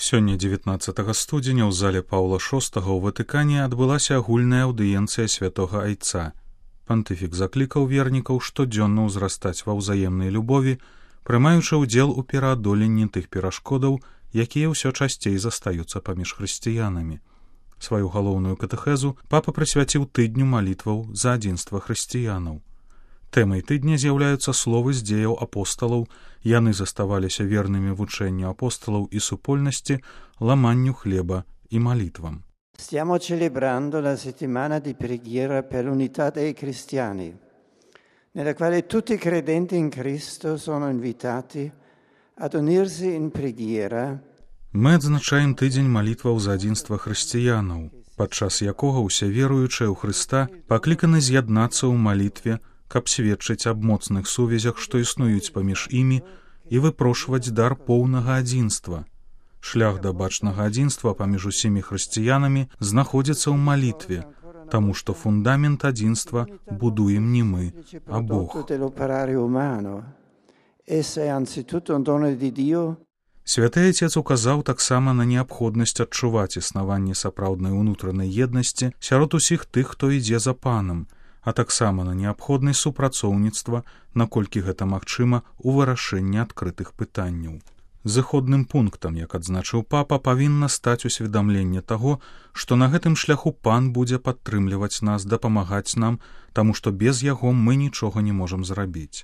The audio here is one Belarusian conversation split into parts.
Сёння 19 студзеня ў зале Паўла VI ў Ватыкане адбылася агульная аўдыенцыя святога Айца. Пантыфік заклікаў вернікаў штодзённа ўзрастаць ва ўзаемнай любові, прымаючы ўдзел у пераадоленні тых перашкодаў, якія ўсё часцей застаюцца паміж хрысціянамі. Сваю галоўную катэхезу папа прысвяціў тыдню малітваў за адзінства хрысціянаў. Тэмай тыдня з'яўляюцца словы з дзеяў апосталаў, яны заставаліся вернымі вучэнню апосталаў і супольнасці, ламанню хлеба і малітвам. Stiamo celebrando la settimana di preghiera per l'unità dei cristiani, nella quale tutti i credenti in Cristo sono invitati ad unirsi in preghiera. Мы адзначаем тыдзень малітваў за адзінства хрысціянаў, падчас якога ўсе веруючыя ў Хрыста пакліканы з'яднацца ў малітве, каб сведчыць аб моцных сувязях, што існуюць паміж імі, і выпрошваць дар поўнага адзінства. Шлях да бачнага адзінства паміж усімі хрысціянамі знаходзіцца ў малітве, таму што фундамент адзінства будуем не мы, а Бог. Святы Айцец указаў таксама на неабходнасць адчуваць існаванне сапраўднай унутранай еднасці сярод усіх тых, хто ідзе за панам, а таксама на неабходнасць супрацоўніцтва, наколькі гэта магчыма, у вырашэнні адкрытых пытанняў. Зыходным пунктам, як адзначыў папа, павінна стаць усведамленне таго, што на гэтым шляху пан будзе падтрымліваць нас, дапамагаць нам, таму што без яго мы нічога не можам зрабіць.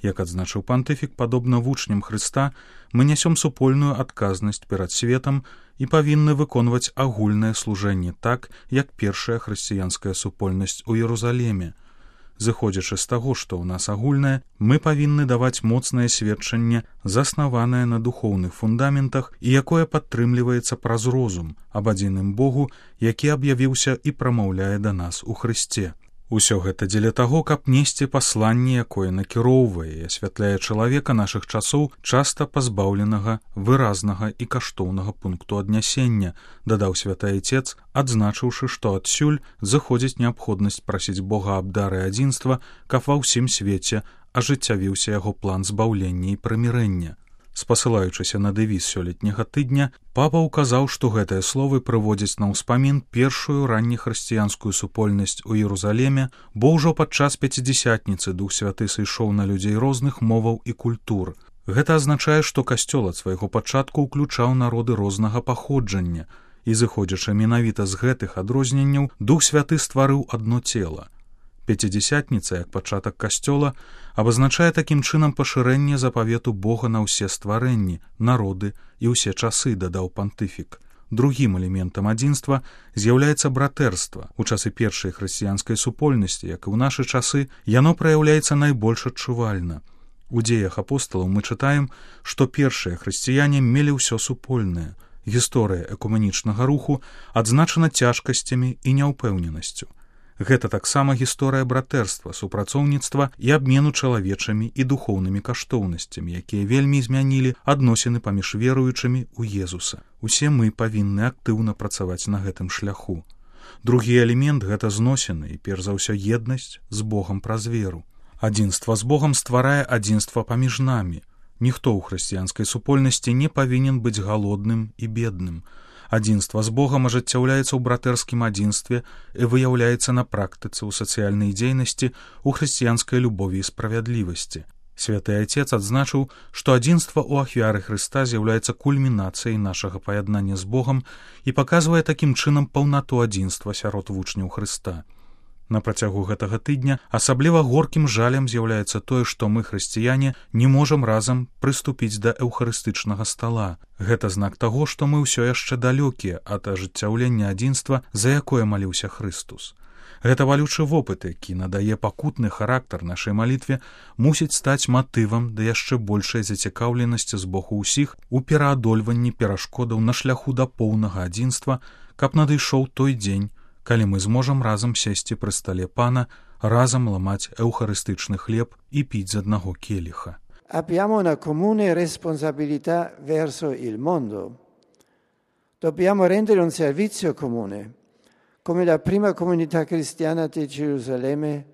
Як адзначыў пантыфік, падобна вучням Хрыста, мы нясём супольную адказнасць перад светам і павінны выконваць агульнае служэнне так, як першая хрысціянская супольнасць у Єрусаліме. Зыходзячы з таго, што ў нас агульнае, мы павінны даваць моцнае сведчанне, заснаванае на духоўных фундаментах і якое падтрымліваецца праз розум аб адзіным Богу, які аб'явіўся і прамаўляе да нас у Хрысце. Усё гэта дзеля таго, каб несці пасланне, якое накіроўвае і асвятляе чалавека нашых часоў, часта пазбаўленага выразнага і каштоўнага пункту аднясення, дадаў святы Айцец, адзначыўшы, што адсюль заходзіць неабходнасць прасіць Бога аб дары адзінства, каб ва ўсім свеце ажыццявіўся яго план збаўлення і прымірэння. Спасылаючыся на дэвіз сёлетняга тыдня, папа ўказаў, што гэтыя словы прыводзяць на ўспамін першую раннехрысціянскую супольнасць у Єрусаліме, бо ўжо падчас пяцідзясятніцы Дух Святы сышоў на людзей розных моваў і культур. Гэта азначае, што касцёл ад свайго пачатку ўключаў народы рознага паходжання, і зыходзячы менавіта з гэтых адрозненняў, Дух Святы стварыў адно цела. Пяцідзясятніца, як пачатак касцёла, абазначае такім чынам пашырэнне запавету Бога на ўсе стварэнні, народы і ўсе часы, дадаў пантыфік. Другім элементам адзінства з'яўляецца братэрства. У часы першай хрысціянскай супольнасці, як і ў нашы часы, яно праяўляецца найбольш адчувальна. У дзеях апосталаў мы чытаем, што першыя хрысціяне мелі ўсё супольнае. Гісторыя экуменічнага руху адзначана цяжкасцямі і няўпэўненасцю. Гэта таксама гісторыя братэрства, супрацоўніцтва і абмену чалавечымі і духоўнымі каштоўнасцямі, якія вельмі змянілі адносіны паміж веруючымі ў Езуса. Усе мы павінны актыўна працаваць на гэтым шляху. Другі элемент — гэта зносіны і, перш за ўсё, еднасць з Богам праз веру. Адзінства з Богам стварае адзінства паміж намі. Ніхто ў хрысціянскай супольнасці не павінен быць галодным і бедным. Адзінства з Богам ажыццяўляецца ў братэрскім адзінстве і выяўляецца на практыцы ў сацыяльнай дзейнасці, у хрысціянскай любові і справядлівасці. Святы Айцец адзначыў, што адзінства ў ахвяры Хрыста з'яўляецца кульмінацыяй нашага паяднання з Богам і паказвае такім чынам паўнату адзінства сярод вучняў Хрыста. На працягу гэтага тыдня асабліва горкім жалем з'яўляецца тое, што мы, хрысціяне, не можам разам прыступіць да эўхарыстычнага стала. Гэта знак таго, што мы ўсё яшчэ далёкія ад ажыццяўлення адзінства, за якое маліўся Хрыстус. Гэта валючы вопыт, які надае пакутны характар нашай малітве, мусіць стаць матывам да яшчэ большай зацікаўленасці з боку ўсіх у пераадольванні перашкодаў на шляху да поўнага адзінства, каб надышоў той дзень, калі мы зможам разам сесці пры стале пана, разам ламаць эўхарыстычны хлеб і піць з аднаго келіха. Abbiamo una comune responsabilità verso il mondo. Dobbiamo rendere un servizio comune, come la prima comunità cristiana di Gerusalemme.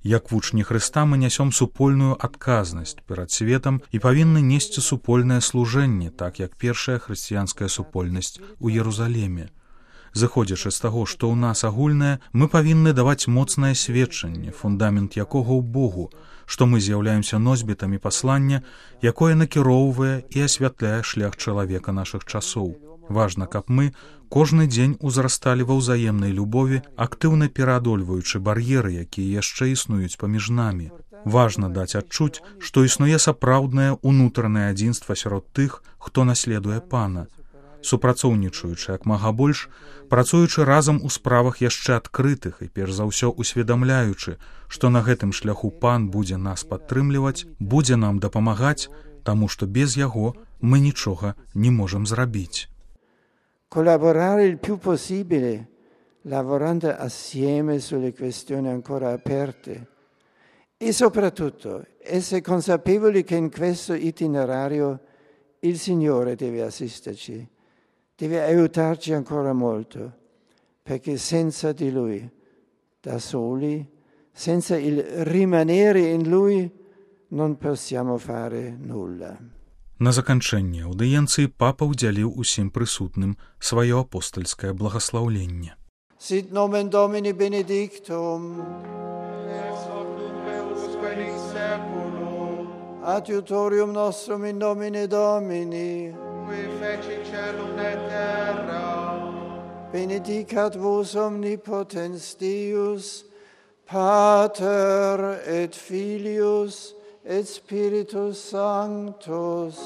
Як вучні Хрыста мы нясём супольную адказнасць перад светам і павінны несці супольнае служэнне, так як першая хрысціянская супольнасць у Єрусалеме. Зыходзячы з таго, што ў нас агульнае, мы павінны даваць моцнае сведчанне, фундамент якога ў Богу, што мы з'яўляемся носьбітамі паслання, якое накіроўвае і асвятляе шлях чалавека нашых часоў. Важна, каб мы кожны дзень узрасталі ва ўзаемнай любові, актыўна пераадольваючы бар'еры, якія яшчэ існуюць паміж намі. Важна даць адчуць, што існуе сапраўднае ўнутранае адзінства сярод тых, хто наследуе Пана. Супрацоўнічаючы як мага больш, працуючы разам у справах яшчэ адкрытых і перш за ўсё усведамляючы, што на гэтым шляху Пан будзе нас падтрымліваць, будзе нам дапамагаць, таму што без яго мы нічога не можам зрабіць. Collaborare il più possibile, lavorando assieme sulle questioni ancora aperte e soprattutto essere consapevoli che in questo itinerario il Signore deve assisterci, deve aiutarci ancora molto, perché senza di Lui, da soli, senza il rimanere in Lui, non possiamo fare nulla. На заканчэнне аўдыенцыі папа ўдзяліў усім прысутным сваё апостальскае благаслаўленне. Sit nomen Domini benedictum, ex hoc nunc et usque in seculum, adiutorium nostrum in nomine Domini, qui feci celum et terra, benedicat vos omnipotens Deus, Pater et Filius et Spiritus Sanctus.